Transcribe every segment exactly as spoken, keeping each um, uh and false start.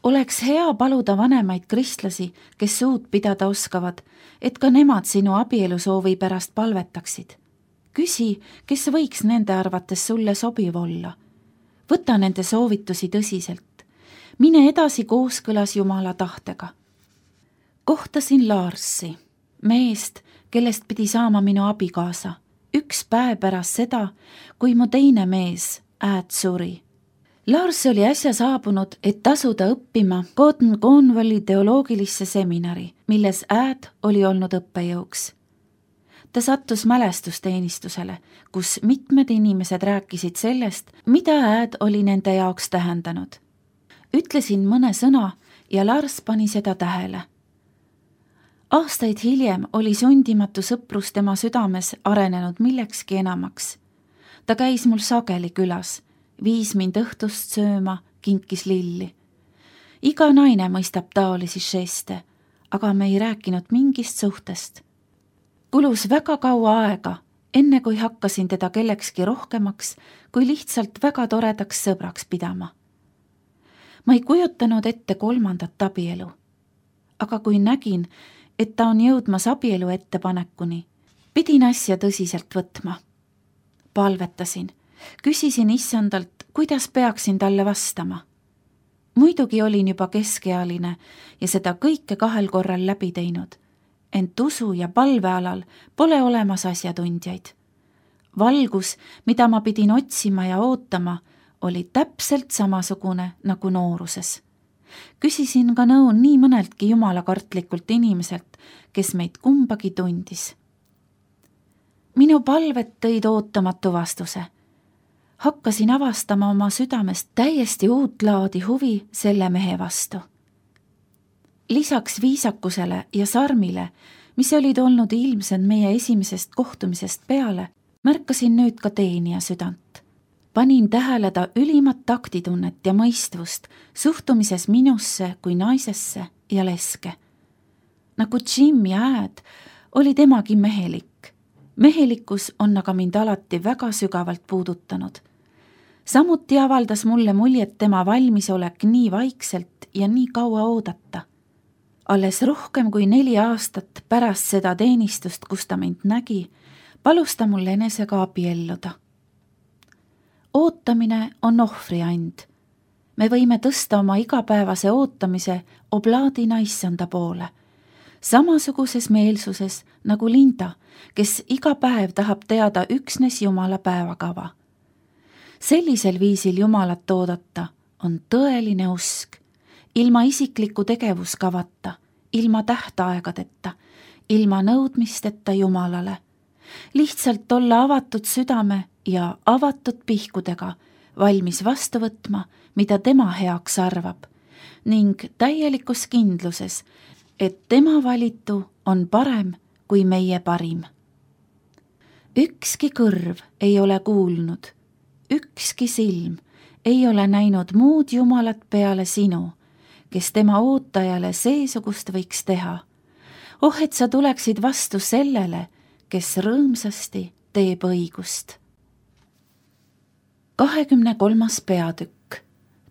Oleks hea paluda vanemaid kristlasi, kes suud pidada oskavad, et ka nemad sinu abielusoovi pärast palvetaksid. Küsi, kes võiks nende arvates sulle sobiv olla. Võta nende soovitusi tõsiselt. Mine edasi kooskõlas Jumala tahtega. Kohtasin Larsi, meest, kellest pidi saama minu abikaasa, üks päev pärast seda, kui mu teine mees, Ääd, suri. Lars oli äsja saabunud, et tasuda õppima Cotton Cornwalli teoloogilisse seminari, milles Ääd oli olnud õppejõuks. Ta sattus mälestusteenistusele, kus mitmed inimesed rääkisid sellest, mida Ääd oli nende jaoks tähendanud. Ütlesin mõne sõna ja Lars pani seda tähele. Aastaid hiljem oli sundimatu sõprus tema südames arenenud millekski enamaks. Ta käis mul sageli külas, viis mind õhtust sööma, kinkis lilli. Iga naine mõistab taolisi žeste, aga me ei rääkinud mingist suhtest. Kulus väga kaua aega, enne kui hakkasin teda kellekski rohkemaks, kui lihtsalt väga toredaks sõbraks pidama. Ma ei kujutanud ette kolmandat abielu, aga kui nägin, et ta on jõudmas abielu ettepanekuni, pidin asja tõsiselt võtma. Palvetasin, küsisin issandalt, kuidas peaksin talle vastama. Muidugi olin juba keskealine ja seda kõike kahel korral läbi teinud, ent usu ja palvealal pole olemas asjatundjaid. Valgus, mida ma pidin otsima ja ootama, oli täpselt samasugune nagu nooruses. Küsisin ka nõu nii mõneltki jumalakartlikult inimeselt, kes meid kumbagi tundis. Minu palvet tõid ootamatu vastuse. Hakkasin avastama oma südamest täiesti uut laadi huvi selle mehe vastu. Lisaks viisakusele ja sarmile, mis olid olnud ilmsed meie esimesest kohtumisest peale, märkasin nüüd ka teenija südant. Panin tähele ta ülimat taktitunnet ja mõistvust suhtumises minusse kui naisesse ja leske. Nagu Jim ja Ääd, oli temagi mehelik. Mehelikkus on aga mind alati väga sügavalt puudutanud. Samuti avaldas mulle muljet tema valmisolek nii vaikselt ja nii kaua oodata. Alles rohkem kui neli aastat pärast seda teenistust, kus ta mind nägi, palus ta mul enesega abielluda. Ootamine on ohvriand. Me võime tõsta oma igapäevase ootamise oblaadina issanda poole. Samasuguses meelsuses nagu Linda, kes iga päev tahab teada üksnes Jumala päevakava. Sellisel viisil Jumalat oodata on tõeline usk, ilma isikliku tegevuskavata, ilma tähtaegadeta, ilma nõudmisteta Jumalale. Lihtsalt olla avatud südame ja avatud pihkudega, valmis vastu võtma, mida tema heaks arvab, ning täielikus kindluses, et tema valitu on parem kui meie parim. Ükski kõrv ei ole kuulnud, ükski silm ei ole näinud muud Jumalat peale sinu, kes tema ootajale seesugust võiks teha. Oh, et sa tuleksid vastu sellele, kes rõõmsasti teeb õigust. kahekümne kolmas peatükk.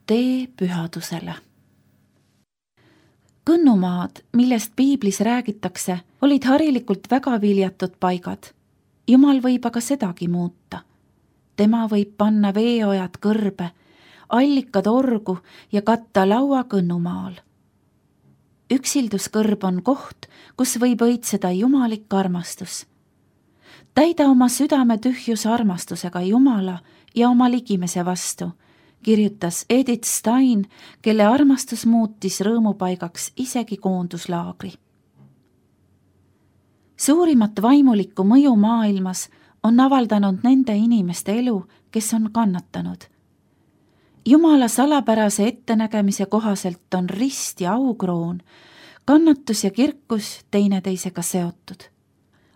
Tee pühadusele. Kõnnumaad, millest piiblis räägitakse, olid harilikult väga viljatud paigad. Jumal võib aga sedagi muuta. Tema võib panna veeojad kõrbe, allikad orgu ja katta laua kõnnumaal. Üksilduskõrb on koht, kus võib õitseda jumalik armastus. Täida oma südame tühjus armastusega Jumala ja oma ligimese vastu, kirjutas Edith Stein, kelle armastus muutis rõõmupaigaks isegi koonduslaagri. Suurimat vaimulikku mõju maailmas on avaldanud nende inimeste elu, kes on kannatanud. Jumala salapärase ettenägemise kohaselt on rist ja aukroon, kannatus ja kirkus teineteisega seotud.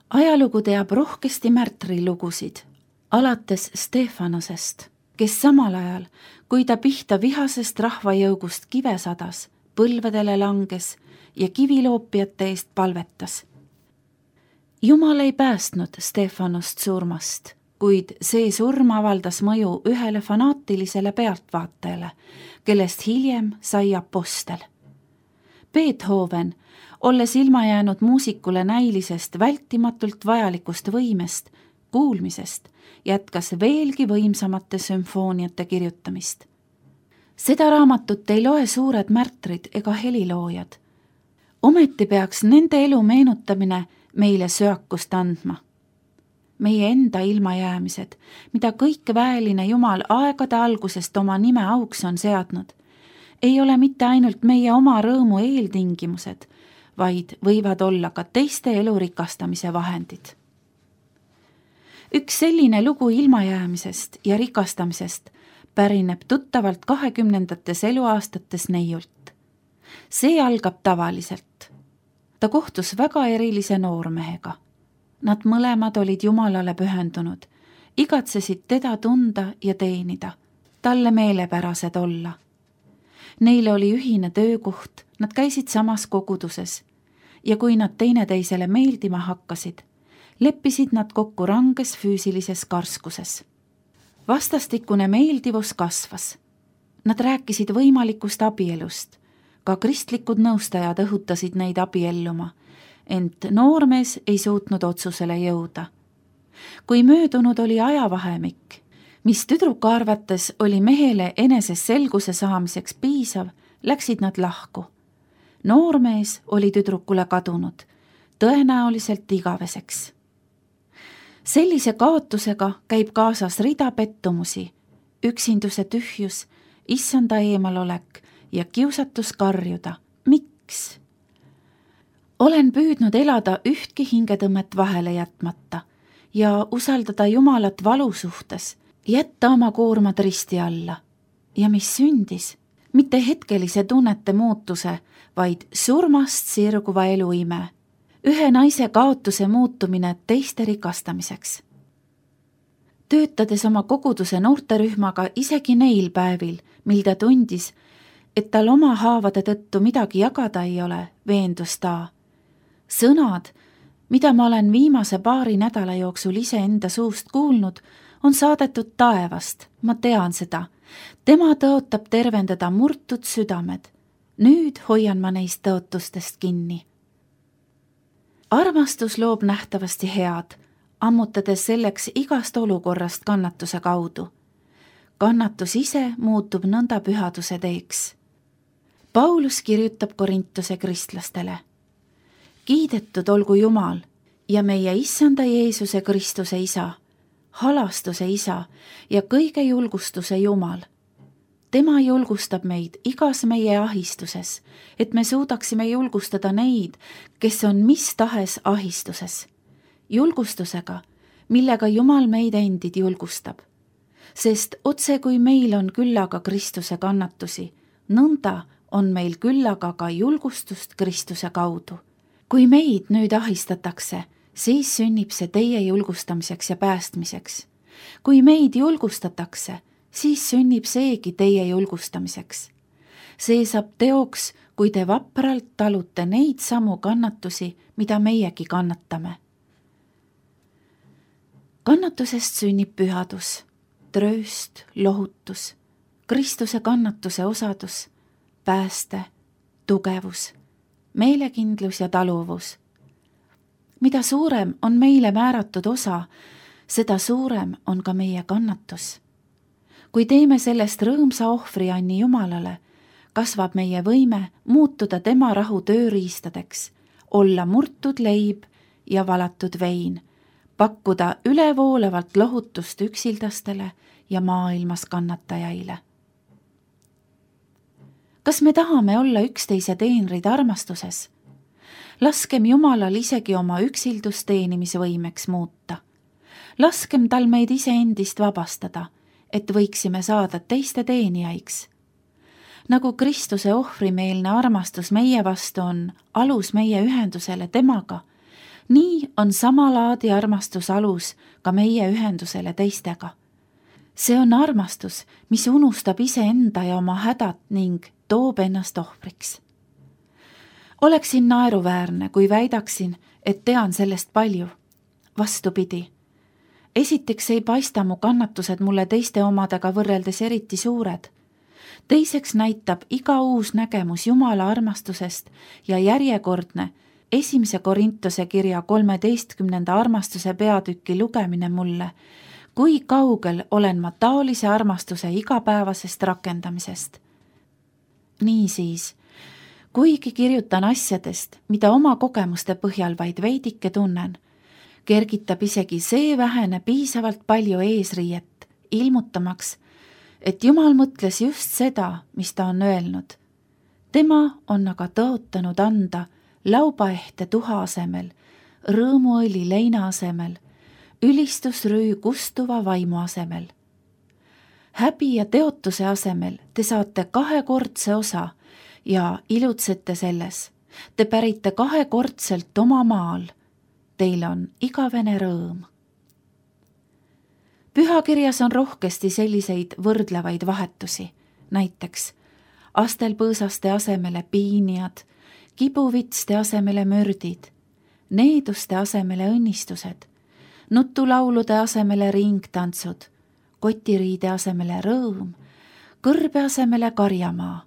Ajalugu teab rohkesti märtrilugusid, alates Stefanosest, kes samal ajal, kui ta pihta vihasest rahvajõugust kive sadas, põlvedele langes ja kiviloopijate eest palvetas. Jumal ei päästnud Stefanost surmast, kuid see surm avaldas mõju ühele fanaatilisele pealtvaatajale, kellest hiljem sai apostel. Beethoven, olles ilma jäänud muusikule näilisest vältimatult vajalikust võimest, kuulmisest, jätkas veelgi võimsamate sümfooniate kirjutamist. Seda raamatut ei loe suured märtrid ega heliloojad. Ometi peaks nende elu meenutamine meile söakust andma. Meie enda ilmajäämised, mida kõik väeline Jumal aegade algusest oma nime auks on seadnud, ei ole mitte ainult meie oma rõõmu eeltingimused, vaid võivad olla ka teiste elu rikastamise vahendid. Üks selline lugu ilmajäämisest ja rikastamisest pärineb tuttavalt kahekümnendates eluaastates neiult. See algab tavaliselt. Ta kohtus väga erilise noormehega. Nad mõlemad olid Jumalale pühendunud, igatsesid teda tunda ja teenida, talle meelepärased olla. Neil oli ühine töökoht, nad käisid samas koguduses ja kui nad teineteisele meeldima hakkasid, leppisid nad kokku ranges füüsilises karskuses. Vastastikune meeldivus kasvas. Nad rääkisid võimalikust abielust. Ka kristlikud nõustajad õhutasid neid abielluma, ent noormees ei suutnud otsusele jõuda. Kui möödunud oli ajavahemik, mis tüdruku arvates oli mehele eneses selguse saamiseks piisav, läksid nad lahku. Noormees oli tüdrukule kadunud, tõenäoliselt igaveseks. Sellise kaotusega käib kaasas rida pettumusi, üksinduse tühjus, issanda eemalolek ja kiusatus karjuda. Miks? Olen püüdnud elada ühtki hingetõmmet vahele jätmata ja usaldada Jumalat valu suhtes, jätta oma koormad risti alla. Ja mis sündis? Mitte hetkelise tunnete muutuse, vaid surmast sirguva eluime. Ühe naise kaotuse muutumine teiste rikastamiseks. Töötades oma koguduse noorterühmaga isegi neil päevil, mil ta tundis, et tal oma haavade tõttu midagi jagada ei ole, veendus ta. Sõnad, mida ma olen viimase paari nädala jooksul ise enda suust kuulnud, on saadetud taevast, ma tean seda. Tema tõotab tervendada murtud südamed. Nüüd hoian ma neist tõotustest kinni. Armastus loob nähtavasti head, ammutades selleks igast olukorrast kannatuse kaudu. Kannatus ise muutub nõnda pühaduse teeks. Paulus kirjutab Korintuse kristlastele. Kiidetud olgu Jumal ja meie issanda Jeesuse Kristuse isa, halastuse isa ja kõige julgustuse Jumal. Tema julgustab meid igas meie ahistuses, et me suudaksime julgustada neid, kes on mis tahes ahistuses. Julgustusega, millega Jumal meid endid julgustab. Sest otse kui meil on küllaga Kristuse kannatusi, nõnda on meil küllaga ka julgustust Kristuse kaudu. Kui meid nüüd ahistatakse, siis sünnib see teie julgustamiseks ja päästmiseks. Kui meid julgustatakse, siis sünnib seegi teie julgustamiseks. See saab teoks, kui te vapralt talute neid samu kannatusi, mida meiegi kannatame. Kannatusest sünnib pühadus, trööst, lohutus, Kristuse kannatuse osadus, pääste, tugevus, meelekindlus ja taluvus. Mida suurem on meile määratud osa, seda suurem on ka meie kannatus. Kui teeme sellest rõõmsa ohvrianni Jumalale, kasvab meie võime muutuda tema rahu tööriistadeks, olla murtud leib ja valatud vein, pakkuda ülevoolavalt lohutust üksildastele ja maailmas kannatajaile. Kas me tahame olla üksteise teenrid armastuses? Laskem Jumalal isegi oma üksildust teenimisvõimeks muuta. Laskem tal meid iseendist vabastada, et võiksime saada teiste teenijaiks. Nagu Kristuse ohvrimeelne armastus meie vastu on alus meie ühendusele temaga, nii on sama laadi armastus alus ka meie ühendusele teistega. See on armastus, mis unustab iseenda ja oma hädat ning toob ennast ohvriks. Oleksin naeruväärne, kui väidaksin, et tean sellest palju. Vastupidi, esiteks ei paista mu kannatused mulle teiste omadega võrreldes eriti suured. Teiseks näitab iga uus nägemus Jumala armastusest ja järjekordne esimese Korintuse kirja kolmeteistkümnenda armastuse peatüki lugemine mulle, kui kaugel olen ma taolise armastuse igapäevasest rakendamisest. Niisiis, kuigi kirjutan asjadest, mida oma kogemuste põhjal vaid veidike tunnen, kergitab isegi see vähene piisavalt palju eesriiet, ilmutamaks, et Jumal mõtles just seda, mis ta on öelnud. Tema on aga tõotanud anda laubaehte tuha asemel, rõõmuõli leina asemel, ülistusrüü kustuva vaimu asemel. Häbi ja teotuse asemel te saate kahekordse osa ja ilutsete selles. Te pärite kahekordselt oma maal. Teil on igavene rõõm. Pühakirjas on rohkesti selliseid võrdlevaid vahetusi, näiteks astelpõõsaste asemele piinijad, kibuvitste asemele mördid, needuste asemele õnnistused, nutulaulude asemele ringtantsud, kotiriide asemele rõõm, kõrbe asemele karjamaa,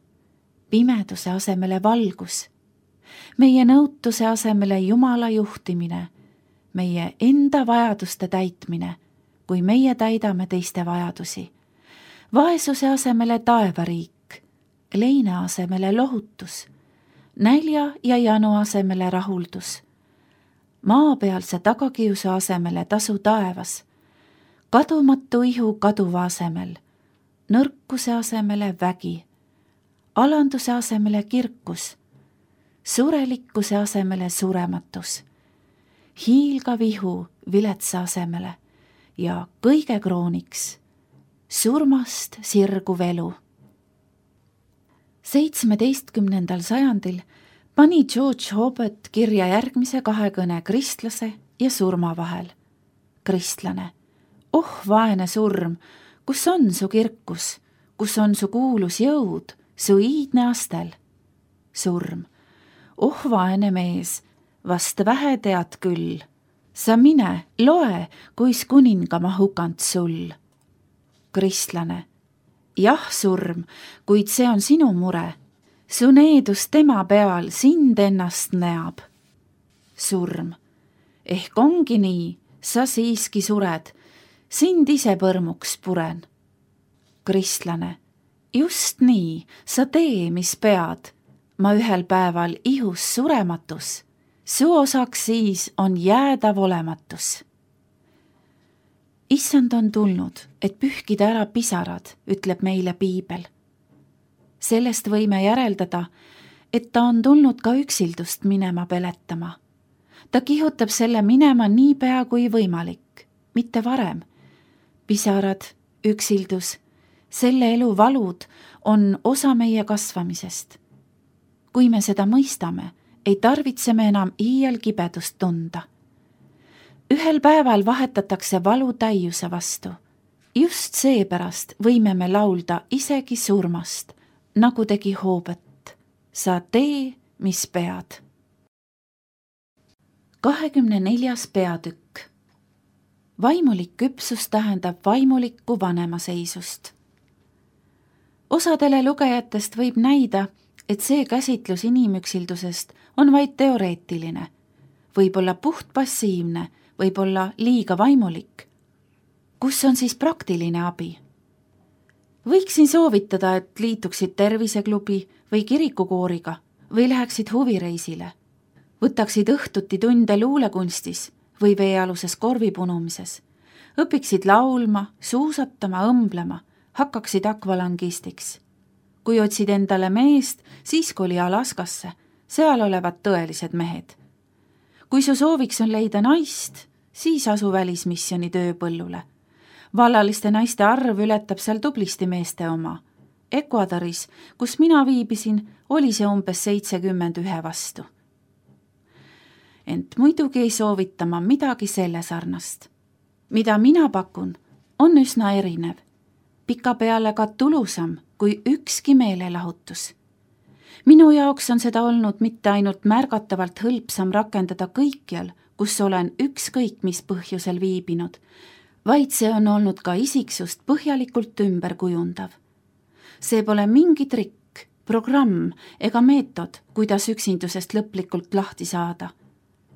pimeduse asemele valgus, meie nõutuse asemele Jumala juhtimine, meie enda vajaduste täitmine, kui meie täidame teiste vajadusi, vaesuse asemele taevariik, leina asemele lohutus, nälja ja janu asemele rahuldus, maapealse tagakiusu asemele tasu taevas, kadumatu ihu kaduva asemel, nõrkuse asemele vägi, alanduse asemele kirkus, surelikkuse asemele surematus, hiilgav ihu viletsa asemele ja kõige krooniks surmast sirguv elu. seitsmeteistkümnendal sajandil pani George Hobart kirja järgmise kahekõne kristlase ja surma vahel. Kristlane, oh vaene surm, kus on su kirkus, kus on su kuulus jõud, su iidne astel? Surm, oh vaene mees, vast vähe tead küll. Sa mine, loe, kuis kuninga ma hukant sul. Kristlane, jah surm, kuid see on sinu mure. Su needus tema peal sind ennast näab. Surm, ehk ongi nii, sa siiski sured, sind ise põrmuks puren. Kristlane, just nii, sa tee, mis pead. Ma ühel päeval ihus surematus. Su osaks siis on jäädav olematus. Issand on tulnud, et pühkida ära pisarad, ütleb meile piibel. Sellest võime järeldada, et ta on tulnud ka üksildust minema peletama. Ta kihutab selle minema nii pea kui võimalik, mitte varem. Pisarad, üksildus, selle elu valud on osa meie kasvamisest. Kui me seda mõistame, ei tarvitse me enam iial kibedust tunda. Ühel päeval vahetatakse valu täiuse vastu. Just seepärast võime me laulda isegi surmast, nagu tegi Hobart. Sa tee, mis pead. kahekümne neljas peatükk. Vaimulik küpsus tähendab vaimulikku vanemaseisust. Osadele lugejatest võib näida, et see käsitlus inimüksildusest on vaid teoreetiline, võib-olla puht passiivne, võib-olla liiga vaimulik. Kus on siis praktiline abi? Võiksin soovitada, et liituksid terviseklubi või kirikukooriga või läheksid huvireisile. Võtaksid õhtuti tunde luulekunstis või veealuses korvipunumises. Õpiksid laulma, suusatama, õmblema, hakkaksid akvalangistiks. Kui otsid endale meest, siis koli Alaskasse, seal olevad tõelised mehed. Kui su sooviks on leida naist, siis asu välismisjoni tööpõllule. Vallaliste naiste arv ületab seal tublisti meeste oma. Ecuadoris, kus mina viibisin, oli see umbes seitsekümmend ühe vastu. Ent muidugi ei soovita ma midagi selle sarnast. Mida mina pakun, on üsna erinev. Pikapeale ka tulusam kui ükski meelelahutus. Minu jaoks on seda olnud mitte ainult märgatavalt hõlpsam rakendada kõikjal, kus olen ükskõik mis põhjusel viibinud, vaid see on olnud ka isiksust põhjalikult ümber kujundav. See pole mingi trikk, programm ega meetod, kuidas üksindusest lõplikult lahti saada.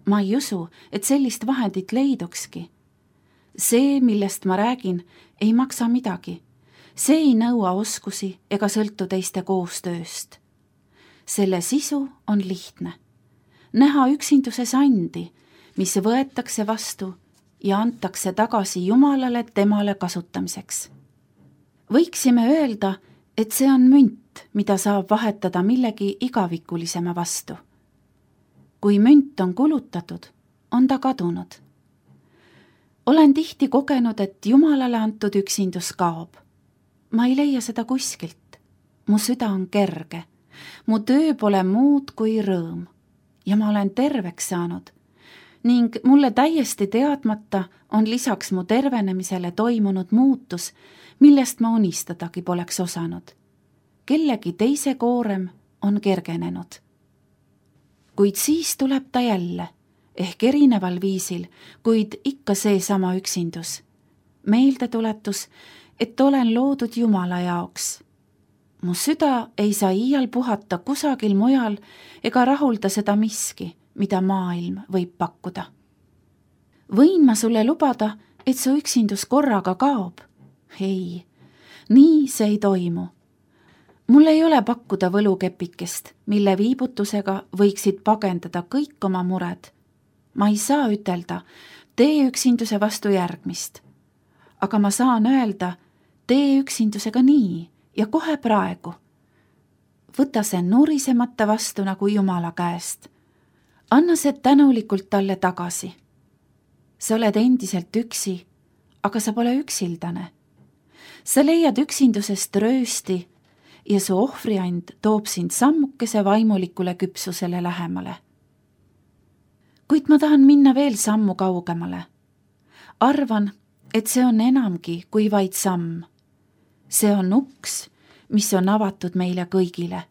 Ma ei usu, et sellist vahendit leidukski. See, millest ma räägin, ei maksa midagi. See ei nõua oskusi ega sõltu teiste koostööst. Selle sisu on lihtne. Näha üksinduses andi, mis võetakse vastu ja antakse tagasi Jumalale temale kasutamiseks. Võiksime öelda, et see on münt, mida saab vahetada millegi igavikulisema vastu. Kui münt on kulutatud, on ta kadunud. Olen tihti kogenud, et Jumalale antud üksindus kaob. Ma ei leia seda kuskilt. Mu süda on kerge. Mu töö pole muud kui rõõm. Ja ma olen terveks saanud. Ning mulle täiesti teadmata on lisaks mu tervenemisele toimunud muutus, millest ma unistadagi poleks osanud. Kellegi teise koorem on kergenenud. Kuid siis tuleb ta jälle, ehk erineval viisil, kuid ikka seesama üksindus. Meeldetuletus, et olen loodud Jumala jaoks. Mu süda ei saa iial puhata kusagil mujal ega rahulda seda miski, mida maailm võib pakkuda. Võin ma sulle lubada, et su üksindus korraga kaob? Ei, nii see ei toimu. Mul ei ole pakkuda võlukepikest, mille viibutusega võiksid pagendada kõik oma mured. Ma ei saa ütelda, tee üksinduse vastu järgmist. Aga ma saan öelda, tee üksindusega nii ja kohe praegu. Võta see nurisemata vastu nagu Jumala käest. Anna see tänulikult talle tagasi. Sa oled endiselt üksi, aga sa pole üksildane. Sa leiad üksindusest röösti ja su ohvriand toob sind sammukese vaimulikule küpsusele lähemale. Kuid ma tahan minna veel sammu kaugemale. Arvan, et see on enamgi kui vaid samm. See on uks, mis on avatud meile kõigile.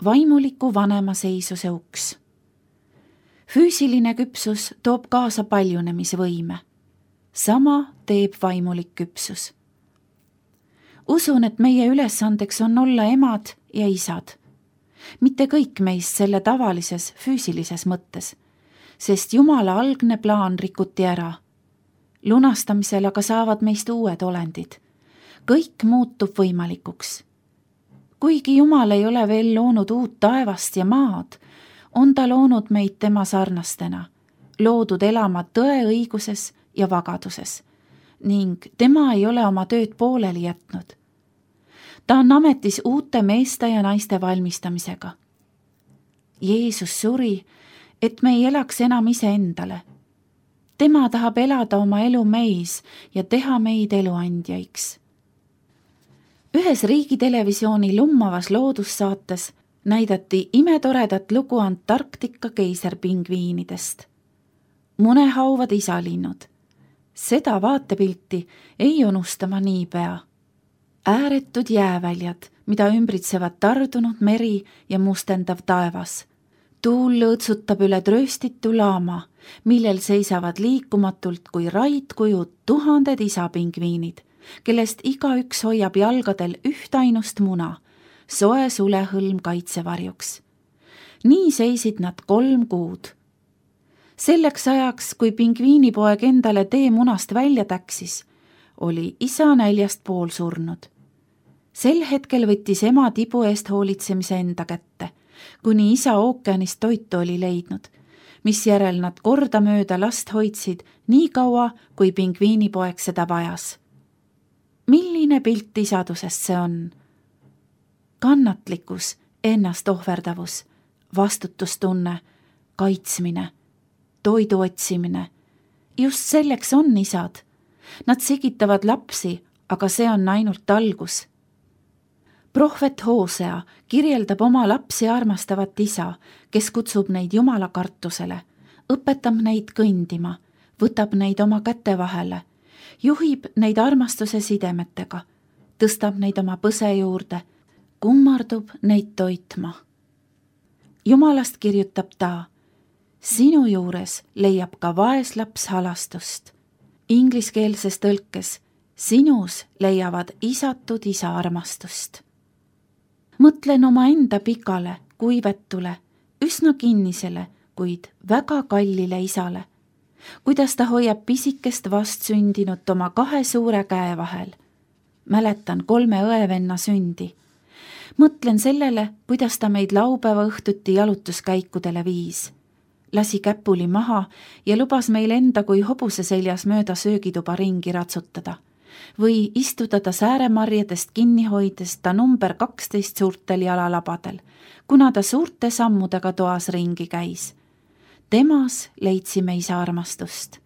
Vaimuliku vanema seisuse uks. Füüsiline küpsus toob kaasa paljunemisvõime. Sama teeb vaimulik küpsus. Usun, et meie ülesandeks on olla emad ja isad. Mitte kõik meist selle tavalises füüsilises mõttes, sest Jumala algne plaan rikuti ära. Lunastamisel aga saavad meist uued olendid. Kõik muutub võimalikuks. Kuigi Jumal ei ole veel loonud uut taevast ja maad, on ta loonud meid tema sarnastena, loodud elama tõe õiguses ja vagaduses, ning tema ei ole oma tööd pooleli jätnud. Ta on ametis uute meeste ja naiste valmistamisega. Jeesus suri, et me ei elaks enam iseendale. Tema tahab elada oma elu meis ja teha meid eluandjaiks. Ühes riigitelevisiooni lummavas loodussaates näidati imetoredat lugu Antarktika keiserpingviinidest. Munehauvad isalinnud. Seda vaatepilti ei unustama niipea. Ääretud jääväljad, mida ümbritsevad tardunud meri ja mustendav taevas. Tuul lõõtsutab üle trööstitu laama, millel seisavad liikumatult kui raidkujud tuhanded isapingviinid, kellest igaüks hoiab jalgadel ühtainust muna, soe sulehõlm kaitsevarjuks. Nii seisid nad kolm kuud. Selleks ajaks, kui pingviinipoeg endale tee munast välja täksis, oli isa näljast pool surnud. Sel hetkel võttis ema tibu eest hoolitsemise enda kätte, kuni isa ookeanist toitu oli leidnud, mis järel nad kordamööda last hoidsid nii kaua, kui pingviinipoeg seda vajas. Milline pilt isadusest see on? Kannatlikkus, ennast ohverdavus, vastutustunne, kaitsmine, toidu otsimine. Just selleks on isad. Nad sigitavad lapsi, aga see on ainult algus. Prohvet Hoosea kirjeldab oma lapsi armastavat isa, kes kutsub neid Jumala kartusele, õpetab neid kõndima, võtab neid oma käte vahele, juhib neid armastuse sidemetega, tõstab neid oma põse juurde, kummardub neid toitma. Jumalast kirjutab ta, sinu juures leiab ka vaeslaps halastust. ingliskeelses tõlkes sinus leiavad isatud isa armastust. Mõtlen omaenda pikale, kuivetule, üsna kinnisele, kuid väga kallile isale, kuidas ta hoiab pisikest vastsündinut oma kahe suure käe vahel. Mäletan kolme õevenna sündi. Mõtlen sellele, kuidas ta meid laupäeva õhtuti jalutuskäikudele viis. Lasi käpuli maha ja lubas meil enda kui hobuse seljas mööda söögituba ringi ratsutada. Või istuda ta sääremarjadest kinni hoides ta number kaksteist suurtel jalalabadel, kuna ta suurte sammudega toas ringi käis. Temas leidsime isa armastust.